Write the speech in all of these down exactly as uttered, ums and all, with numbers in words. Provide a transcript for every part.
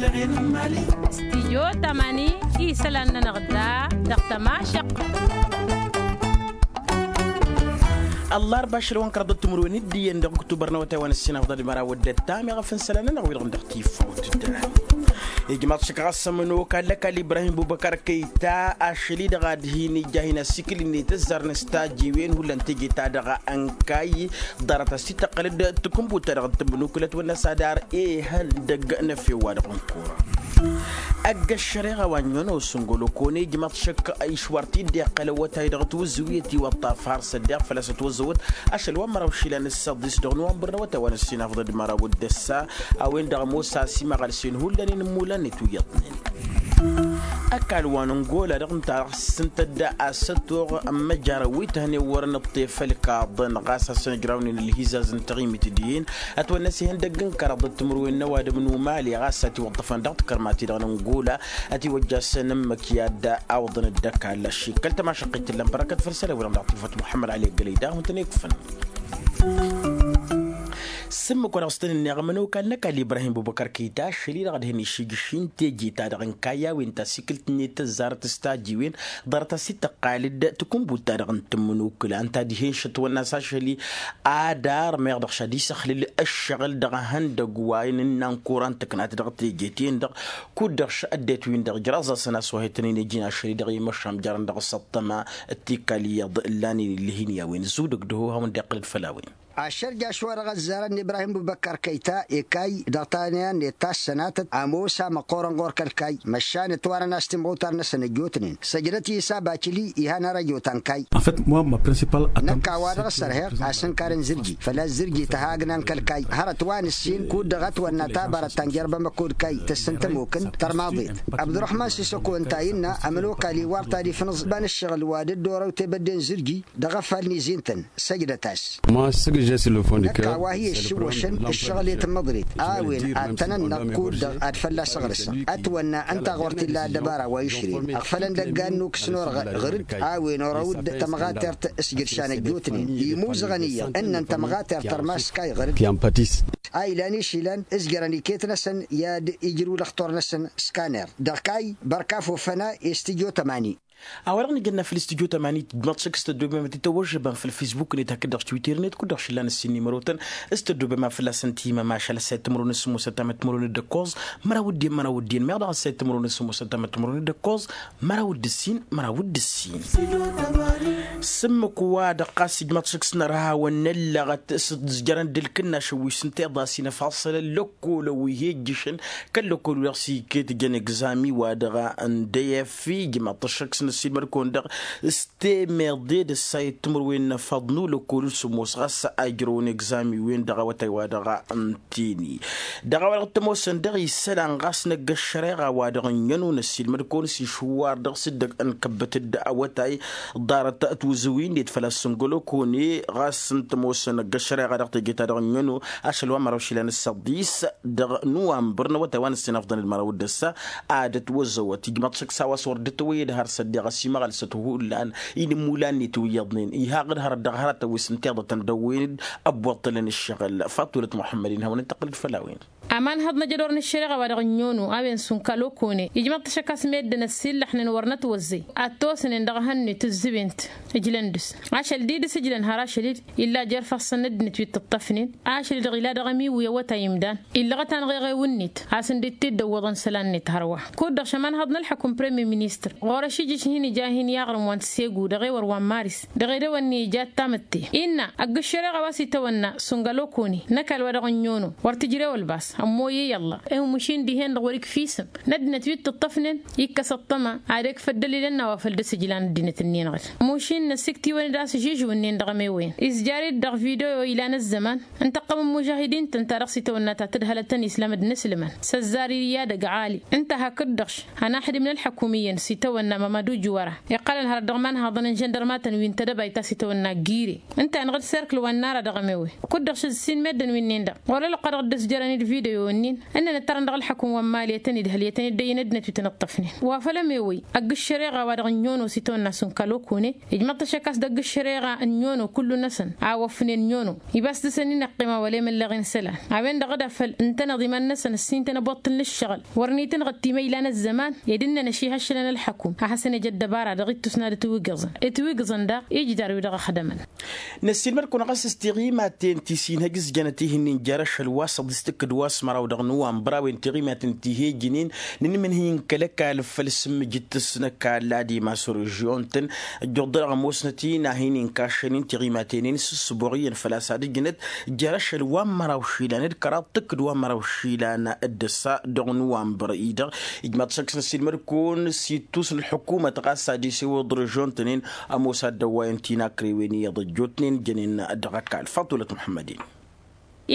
Stijyo tamani isălan-nănăɣ da dăɣ-tămašăq. Ăllarba ašăl wa n-kăraḍăt timǝrwen d-iyyăn dăɣ-ǝktubăr n-awătay wa n-ǝssin afḍăl d-măraw d-ăttam iɣăf n-isălan-nănăɣ wi-dăɣ dăɣ-tifawt. Ijmaḍ šăk ɣas ămănokal n-ăkall ibrahim bubăkar kăyta ašăl-i-dăɣ ad-hin-ija hin-asikǝl-net ăzzarăn s-tajiwen hullan teje-ta-dăɣ ănkayy. Ḍarăt-as t-tăqqălăd tǝkǝnbut-ta-dăɣ n-tǝmmǝnukǝl ătwănna s-ad-ar ihăndăg n-efew wa-dăɣ n-kura. Ăgg-ăššăreɣa wa n-ănnos n-golokone ijmăḍ šăkk išwar-t-dd-iqqăl awătay dăɣ-tiwǝzzǝwiyăt iwăṭṭaf har s-ăddiɣ făl-a-s ătwăzzăwăt ašăl wa n-măraw išilan s-săḍis dăɣ-nowănbăr n-awătay wa n-ăssinafḍăd măraw d-ăssa. A-wen-dăɣ ămoos a-s imăɣălsen hullan i-inǝmmulan-net wi iyyăḍnen. Ăkall wa n-ăngola dăɣ-ǝnta s-ǝntădda asătoɣ n-imăjjarăn wi tăhnen wăren ǝṭṭef ălkaḍăn ɣas a-s ănǝjrawnen ălhizaz n-taɣimit dihen. Ătwănna s-ihăndăgg n-kăraḍăt timǝrwen n-ăwadǝm n-umali ɣas ătiwăḍḍăfăn dăɣ-tikărmat-i-dăɣ n-ăngola. Ătiwăjjasăn ǝmmǝk i-ad-awǝḍăn dd-ăkall ašik kăl-tămašăqqit tǝllăm bărăkăt făll-isălan-wi-dăɣ dăɣ-tifăt muḥămmăd ali ăggălăy daɣ wǝntăn ikfăn. S-ǝmmǝk wa dăɣ-s tăn-ǝnneɣ ămănokal n-ăkall ibrahim bubăkăr kăyta ašăl-i-dăɣ ad-hin-išijǝš i-n teje-ta-dăɣ n-kayy a-wen tasikǝlt-net tăzzarăt s-tajiwen. Ḍarăt-as-t-tăqqal-dd tǝkǝnbut-ta-dăɣ n-tǝmmǝnukǝla ǝnta ad-ih'-en šătwănna a-s ašăl-i ad-armăyăɣ dăɣ-šad isăxlǝl ǝššăɣǝl dăɣ-ehăndăgg wa n-ǝnnan kura n-tǝknat dăɣ-teje-ten-dăɣ. Kud-dăɣ š-ăddinăt-win-dăɣ ǝjraẓ-asăn a-s wa he-tăn-in-ija n-ašăl-i-dăɣ i-măšan jarăn dăɣ-s ăṭṭăma. Tikal iyyăḍ ǝllanen ǝllǝh-in i-a-wen zudăg dăɣ-ohawăn dd-iqqǝlăd făll-a-wen. Ašăl jaš-wa-dăɣ ăzzarăn n-ibrahim bubăkkar kăyta ekay dăɣ-taniya-net ta s-sănatăt ămoos a măqqoorăn ɣur-kăl-kayy măšan ǝtwarăn a-s timɣutar-năsăn ăjjootnen săjdăt i-isa bacǝli. Ihan ar ăjootan kayy. Năkk a-wa-dăɣ ăssărheɣ asǝnkar n-zǝrji făl-a-s zǝrji tăhagna n-kăl-kayy hărăt wa nǝssin kud-dăɣ ătwănna tabarăt ta n-jerbămăk kud-kayy tǝssǝn tămokǝn tărmaḍet. Abdurăhman sisăko ǝnta a innă ămănokal iwar ta d-ifnǝẓ iba n-ǝššăɣǝl wa dd-orăw tebădde n-zǝrji dăɣ-afal n-izi-n-tăn. Săjdăt-as. Năkk a-wa hi-ăššǝwwăšăn ǝššăɣǝl i-tǝmmăḍrit a-wen ad-tăn-ănnăɣ kud-dăɣ ad-fălla-s ăɣrǝsăɣ ătwănna ǝnta ɣur-t illa ăddăbara wa išrǝyăn ăɣfălăn d-ăggan n-ukǝs n-orăɣ ɣăr-dd. A-wen orăw-dd tămɣatert s-jǝršan ăjjootnen imuzăɣăn iyyăḍ ǝnnăn tămɣatert tărmaskay ɣăr-dd. A ilan išilan ǝzjărăn iket-năsăn i-ad-ijrǝw lăxtur-năsăn skaner dăɣ-kayy bărkaf ofăna i-studyo tămani. A-wa-dăɣ nǝjănna făll-studyo tămani tǝjmăḍ šăkk s-tăddobem ad-t-tăwăžžăbăm făll-fisbuk-net hakd-dăɣ twitter-net kud-dăɣ šǝllan ǝssin n-imărotăn s-tăddobem a fălla-săn timăm ašăl ăssayăt timărwen s-sǝmmosăt tamăt timărwen d-ǝkkoẓ. Măraw d-iyyăn măraw d-iyyăn meɣ dăɣ-ăssayăt timărwen s-sǝmmosăt tamăt timărwen d-ǝkkoẓ. Măraw d-ǝssin măraw d-ǝssin. S-ǝmmǝk wa-dăɣ ɣas ijmăḍ šăkk s-nărha wănnăllăɣăt s-ǝzjărăn d-ǝlkǝnnašăn wi s-ǝnta iḍas inăfaṣălăn lăkkolăn wi he-ǝjjǝšăn kăl-lăkkol wi dăɣ-s iket jăn egzami wa dăɣ-a n-dăyăf ijmăḍ-t šăkk s-năssiilmăd-kăwăn-dăɣ s-temeḍe d-ăssayăt timǝrwen n-afăḍ n-ulăkkol n-sǝmmos ɣas a ijrăwăn egzami-wen dăɣ-awătay wa dăɣ-a n-teni. Dăɣ-a-wa-dăɣ t-ămoosăn dăɣ-isălan ɣas năgg ăššăreɣa wa dăɣ-ǝnniyăn unăssiilmăd-kăwăn s-išwar dăɣ-s dd-ănkăbbăt-dd awătay. Ḍarăt tiwǝzzǝwin-net făl-a-s n-gălokone ɣas ǝnta ămoosăn năgg ăššăreɣa dăɣ-teje-ta-dăɣ ǝnniyăn-o ašăl wa n-măraw išilan s-săḍis dăɣ-nowănbăr n-awătay wa n-ăssinafḍăn d-măraw d-ăssa. Ad-ătwăzzăwăt ijmăḍ šăkk s-a-wa s-wăr dd-tăwăyyăd har s-ăddiɣ ăsimăɣălsăt hullan i-inǝmmulan-net wi iyyăḍnen ihaɣ-dd hărăt dăɣ-hărătăn wi s-ǝnta iḍătăn dăɣ-wen-dd. Ăbbuḍtălăn ǝššăɣǝl fatulăt muḥămmăd-in hawăn-dd-tăqqǝlăd făll-a-wen. Aman hăḍ n-ajădor n-ǝššăreɣa wa dăɣ-ǝnnono a-wen s-unka lokone ijmăḍ-t šăkk a-s meddǝn ăssiillăxnen wăr nătwăzzăy ad-t-osnen dăɣ-ehăn-net ǝzzǝben-t. Ǝjlăn dăɣ-s ašăl-di dăɣ-s ǝjlăn har ašăl-dd illa jer-ifassăn n-ăddinăt wi t-ǝṭṭăfnen. Ašăl-i-dăɣ ila dăɣ-ămiwǝy awătay imdan illăɣăt-anăɣ eɣew-net a-s ǝndǝt-t-dd-ăwwăḍăn isălan-net hărwa. Kud-dăɣ šăman hăḍ n-ălḥăkum premier ministăr ɣur-ăšijǝš hin-ija hin-iɣrǝm wa n-segu dăɣ-ewăr wa n-maris dăɣ-edăwănni ija d-tamǝtte. Innă ăgg-ǝššăreɣa wa s-itawănna s-unga lokone n-ăkall wa dăɣ-ǝnnono wăr tǝjrew ălbas ămmoyăy ălla. Ihǝmmuš-in dihen-dăɣ wăr-ikf isǝm n-ăddinăt wi t-ǝṭṭăfnen. Ikkăs ăṭṭăma ad-ekf ăddălil ănn a-wa făl dăr-s ǝjlan ăddinăt-ǝnnin-dăɣ. Muš-in năsiktiwăn-dd a-s ǝžžǝžǝw-ǝnnin dăɣ-ămewăyăn izjar-dd dăɣ-video ilan ăzzăman. Ǝntăqqăm n-imužahidin-tăn ta dăɣ-s itawănna ta tǝdhălăt tăn-islam d-inǝslǝman s-ăzzar i-ad-ăgg ɣali. Ǝnta hakd-dăɣ-š hanaxdim n-ălḥăkum iyyăn s-itawănna mamadu juwăra iqqălăn hărăt dăɣ-imanhaḍăn n-žăndărmatăn wi n-tedăbayt a-s itawănna gire. Ǝnta-enăɣ d-serkǝl wa n-nara dăɣ-ămewe. Kud-dăɣ šăzz sin meddǝn wi-nin-dăɣ ɣur-ălwăqq a dăɣ-dd-ăsjărăn d-video. Ănnăn ǝttărăn dăɣ-ălḥăkum wa n-mali i-tăn-idhăl i-tăn-dd-ăyy n-ăddinăt wi tăn-ǝṭṭăfnen wa făl ămewăy ăgg-ǝššăreɣa wa dăɣ-ǝnnono s-itawănna s-ǝnkăl okune. Ijmăḍ-t ăššăk a-s dăgg-ǝššăreɣa ǝnnono kullu-năsăn a wăfnen ǝnnono ibas dăr-săn inăqqima wăla imăllăɣen isălan. A-wen-dăɣ d-afăl ǝntăneḍ iman-năsăn ǝssin-tăn ăboṭṭǝl n-ǝššăɣǝl wăr n-itǝnɣǝd timăyla n-ăzzăman. Ed ǝnnăn ăšihăššălăn ălḥăkum a hasăn-ej ăddăbara dăɣ-ittus n-ad-ǝtwǝgǝẓăn ǝtwǝgǝẓăn daɣ ijidar-wi-dăɣ ăxdămăn. Năssiilmăd-kăwăn ɣas s-tiɣimaten ti s-inhăj s-jănăt ihǝnnin jer-ašăl wa s-ăḍḍis tǝkkǝd wa s-măraw dăɣ-nǝwanbăr a-wen tiɣimaten ti he-ǝjǝnen n-inmǝnhǝy n-kăl-ăkall făll-sǝmmǝjǝt tǝsnăkall ad-imas režion-tăn. Ăjjoḍ-dăɣ ămoosnăt-in a hin-inkašăn n-tiɣimaten-in s-ǝssǝboɣ iyyăn făl-a-s ad-ǝjǝnăt jer-ašăl wa n-măraw išilan d-kăraḍ tǝkkǝd wa n-măraw išilan d-ăssa dăɣ-nǝwanbăr-i-dăɣ. Ijmaḍ-t šăkk s-năssiilmăd-kăwăn s-ittus n-ălḥǝkumăt ɣas ad-isewăḍ režion-tăn-in ămoos ad-dd-ăwwayăn tinakrewen iyyăḍ ăjjootnen jănen dăɣ-ăkall faḍulăt muḥămmăd-in.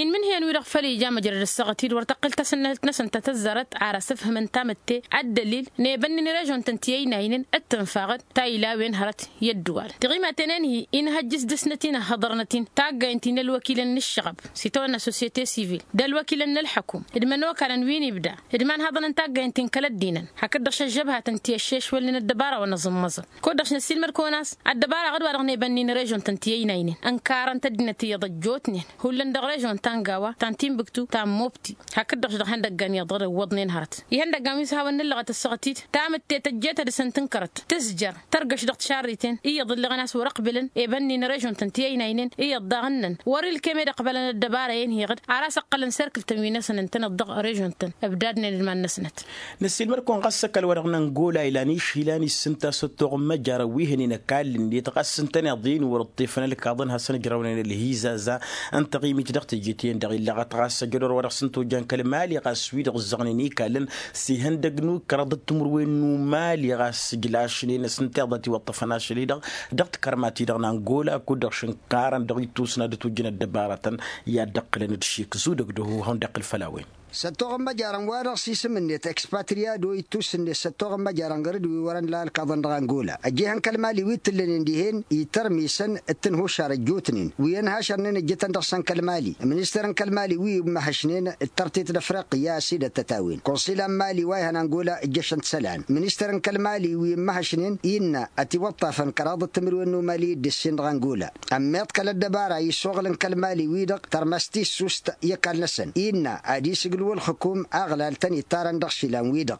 Inmǝnhǝyăn-wi-dăɣ făl ija măjrăd ăssaɣăt-dd wăr tăqqǝl tasǝnnăhǝlt-năsăn ta tăzzarăt ar asǝfhǝmăn tamǝtte ăddălil n-ebănnin režion-tăn ti ăynaynen d-tǝnfaɣ-dd tayla a-wen hărăt i-ăddǝwal tiɣimaten-en-hi. Inhăjjǝs dăr-snăt-in ăhhăḍărnăt-in taggayen ti n-ălwăkilăn n-ǝššăɣăb s-itawănna societe sivil d-ălwăkilăn n-ălḥăkum d-imănokalăn wi n-ibda d-imanhaḍăn n-taggayen ti n-kăl-ăddinăn hakd-dăɣ šăžžăbhatăn ti ăššešwălnen ăddăbara wa n-aẓǝmmăẓăn. Kud-dăɣ š-năssiilmăd-kăwăn a-s ăddăbara ɣǝd-wa-dăɣ n-ebănnin režion-tăn ti ăynaynen ǝnkarăn-t ăddinăt iyyăḍ ăjjootnen hullan dăɣ-režion ta n-gawa ta n-timbǝktu ta n-mobti. Hakd-dăɣ š-dăɣ ihăndăggan iyyăḍ dd-ǝwwăḍnen hărăt ihăndăggan wi s-hawăn-nǝllăɣăt ăssaɣăt-dd tamǝtte tăjjeet ad-dăsăn tǝnkărăt tǝzjăr tărgăš dăɣ-tišarriten iyyăḍ ǝlleɣăn a-s wăr-ăqbǝlăn ebănnin režion-tăn ti ăynaynen iyyăḍ daɣ ǝnnăn wăr-ilkem ed ăqbălăn ăddăbara-en-hi ɣǝd ar a-s ǝqqălăn serkǝl-tăn wi-năsăn ǝntăneḍ dăɣ-režion-tăn ǝbdadnen d-iman-năsnăt. Năssiilmăd-kăwăn ɣas s-ăkall-wa-dăɣ n-angola ilan išilan issǝnta s-ăttoɣ n-măjarăn wi hănen ăkall-net ɣas s-ǝntăneḍ-in wăr-ǝṭṭefăn ǝlkaḍăn hasăn-ǝjrawnen ălhizaza n-taɣimit dăɣ-teje-ten-dăɣ illăɣăt ɣas ăjădor wa dăɣ-s n-toja n-kăl-mali ɣas wi-dăɣ ǝzzăɣnen ikallăn s-ihăndăg n-ukăraḍ d-timǝrwen n-umali ɣas ǝjlašnen s-ǝnta iḍa tiwăṭṭăfăn ašăl-i-dăɣ dăɣ-tikărma-ti-dăɣ n-angola kud-dăɣ šǝnkarăn dăɣ-ittus n-ad-ătwǝjjǝn ăddăbarătăn i-ad-dd-ǝqqǝlăn d-šik zudăg d-ăhuhăn d-iqqǝl făll-a-wen. S-ăttoɣ n-măjarăn-wa-dăɣ s-isǝm-net expatriado ittus-net s-ăttoɣ n-măjarăn ɣăr-dd wi wărăn la ălkaḍăn dăɣ-angola ăjjeh n-kăl-mali wi t-ǝllănen dihen itărmisăn d-tǝnhušar ăjjootnen wi ănhašărnen ăjjătăn dăɣ-săn kăl-mali. Ministăr n-kăl-mali wi immăhăšnen d-tărtet d-afriqya a-s idăt-t-a-wen konsila n-mali wa ihăn angola ǝjjăšăn-t isălan ministăr n-kăl-mali wi immăhăšnen innă ătiwăṭṭafăn kăraḍăt timǝrwen n-umali d-ǝssin dăɣ-angola. Ămmiḍ kăl-ăddăbara issoɣǝl n-kăl-mali-wi-dăɣ tărmăs tissust i-ăkall-năsăn innă ad-isǝglǝw ǝlxǝkum aɣlal tăn-ittarăn dăɣ-išilan-wi-dăɣ.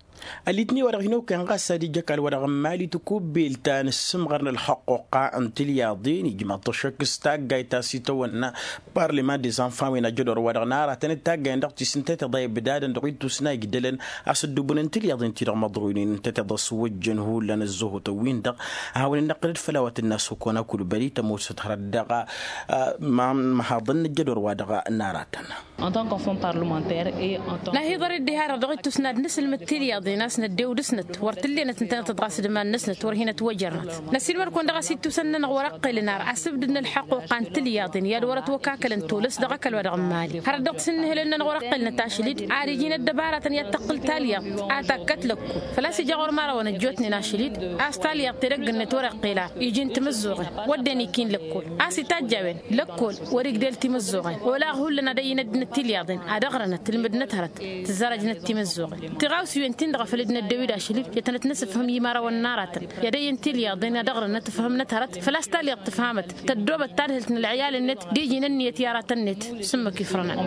Ălitni wa dăɣ-hin-okăyăn ɣas ad-ija ăkall-wa-dăɣ n-mali tăkubbelt ta n-ǝssǝmɣăr n-ălxăqquqqa n-tilyaḍen ijmăḍ-t ăššăk s-taggayt ta s-itawănna parlăman dez-anfan-wen ajădor-wa-dăɣ n-aratăn d-taggayăn dăɣ-tisǝnta tiḍa ibdadăn dăɣ-ittus n-a igdălăn a-s ăddubǝnăn tilyaḍen-ti-dăɣ măḍroynen ǝnta tiḍa s-wăjjăn hullan ăzzuhutăn-win-dăɣ. A hawăn-in-năqqǝlăd făll-a-wa tǝnna s-okăwăn akulbăli tămoosăt hărăt dăɣ-măhaḍăn n-ăjjădor-wa-dăɣ n-aratăn. N-ahiḍăr-dd iha-dăɣ dăɣ-ittus n-ad-nǝsǝlmǝd tilyaḍen a-s năddew dăɣ-snăt wăr t-ǝllenăt ǝntănăt ɣas d-iman-năsnăt wăr hin-ătwăjărnăt. Năsiilmăd-kăwăn dăɣ-a-s ittusăn-nănăɣ wăr-ăqqelăn ar asǝbdǝd n-ălḥăqquqa n-tilyaḍen i-ad-wăr-ătwăkakălăn tolăs dăɣ-ăkall-wa-dăɣ n-mali hărăt dăɣ-t s-ǝnnǝhǝlăn-nănăɣ wăr-ăqqelnăt ašăl-dd ad-iji n-ăddăbaratăn i-ad-tăqqǝl talyaḍt a takkăt lăkkol. Făl-a-s ija ɣur-imărawăn ăjjootnen ašăl-dd a-s talyaḍt edăgg-net wăr-iqqel ar iji n-timǝzzuɣen wădden ikin lăkkol a-s itajj a-wen lăkkol wăr-igdel timǝzzuɣen olaɣ hullan ad-ăyy n-ăddinăt tilyaḍen ad-ăɣrănăt ǝlmǝdnăt hărăt tǝzzărăjnăt timǝzzuɣen. Tiɣawsiwen-tin-dăɣ a făl dd-năddew-dd ašăl-dd i-tănăt-nǝsǝfhǝm i-imărawăn n-aratăn i-ad-ăyyǝn tilyaḍen ad-ăɣrănăt ǝfhǝmnăt hărăt făl-a-s talyaḍt tǝfhamăt tăddoobăt tadhǝlt n-ălɣiyalăn-net d-iji n-ǝnniyăt i-aratăn-net. Sǝmmǝk ifrănăn.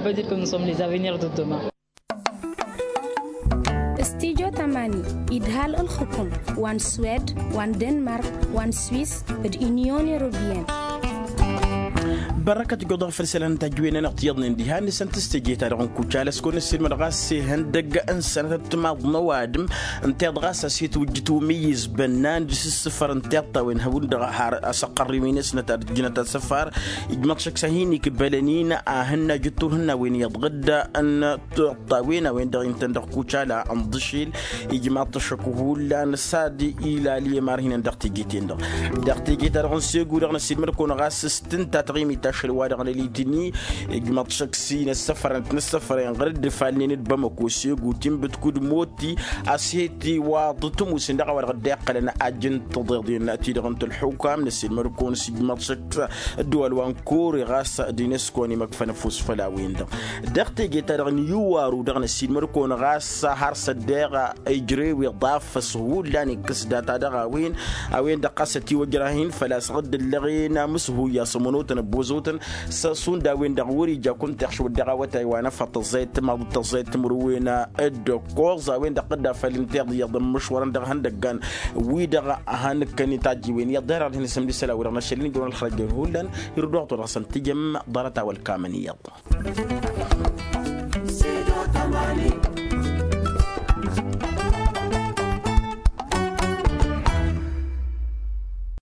Stijo tamani idhal ǝlxǝkum wa n-swed wa n-denmark wa n-swis d-inyon europiyăn. Bărăkăt goḍăɣ făll-isălan n-tajjǝwen-nănăɣ tiyyăḍnen diha n-isăn tǝstăje-ta-dăɣ n-kucala s-kăwăn-ăssiilmăd ɣas ihăndăgg n-sănătăt timaḍ n-ăwadǝm ǝnta iḍ ɣas a-s itwǝjjǝt umǝyyǝz bănnan dăɣ-s ǝssǝfăr n-tiṭṭawen hawǝn-dăɣ har asăqqărriw-in s-năt ad-ǝjjǝnăt asăfar. Ijmăḍ šăkk s-ad-hin-ikbălăn-in a hǝnna jǝttur hǝnnawen iyyăḍ ɣǝdda n-tiṭṭawen a-wen-dăɣ intăn dăɣ-kucala n-iḍǝšil. Ijmăḍ-t šăkk hullan s-ad-ilal i-imarhinăn dăɣ-teje-ten-dăɣ dăɣ-teje-ta-dăɣ n-segu-dăɣ n-ăssiilmăd-kăwăn ɣas s-tǝnta taɣimit. ašăl wa-dăɣ n-elitini. Ijmăḍ šăkk s-inăssăfărăn tinăssăfărăn ɣăr dd-ifalnen d-bamăko s-egutin bǝtkud moti. A-s he-tiwaḍ tǝmusǝn dăɣ-a-wa-dăɣ dd-iqqălăn ajăn tăḍeḍen-ti-dăɣ n-tălxukam n-ăssiilmăr-kăwăn s-ijmăḍ šăkk s-ăddăwal wa n-kore ɣas d-inesco n-imăkfăn ăfuss făll-a-wen-dăɣ. Dăɣ-teje-ta-dăɣ n-iwaru-dăɣ n-ăssiilmăr-kăwăn ɣas har s-ăddeɣ ijrew iḍaf s-hullan ikkăs data dăɣ-a-wen. A-wen-dăɣ ɣas ătiwăjrah-in făl-a-s ɣǝddǝllăɣen amǝshuy i-asămănotăn ăbboozotăn s-šund a-wen-dăɣ wăr-ija kunta iɣšǝwăt dăɣ-awătay wa n-afăl tăẓẓayăt timaḍ tăẓẓayăt timǝrwen d-ǝkkoẓ a-wen-dăɣ dd-afăl n-tiḍǝyăḍ n-imǝšwărăn dăɣ-ihăndăggan-wi-dăɣ. Hanǝkkăn itajjiwen iyyăḍ dăr-ad-hin-isǝmdǝsăl a-wi-dăɣ n-ašăl n-ijrăwăn ălxărăjjăn hullan. Irǝd wa ɣur-dăɣ săn tijăm ḍarăt-a-wa ălkamăn iyyăḍ.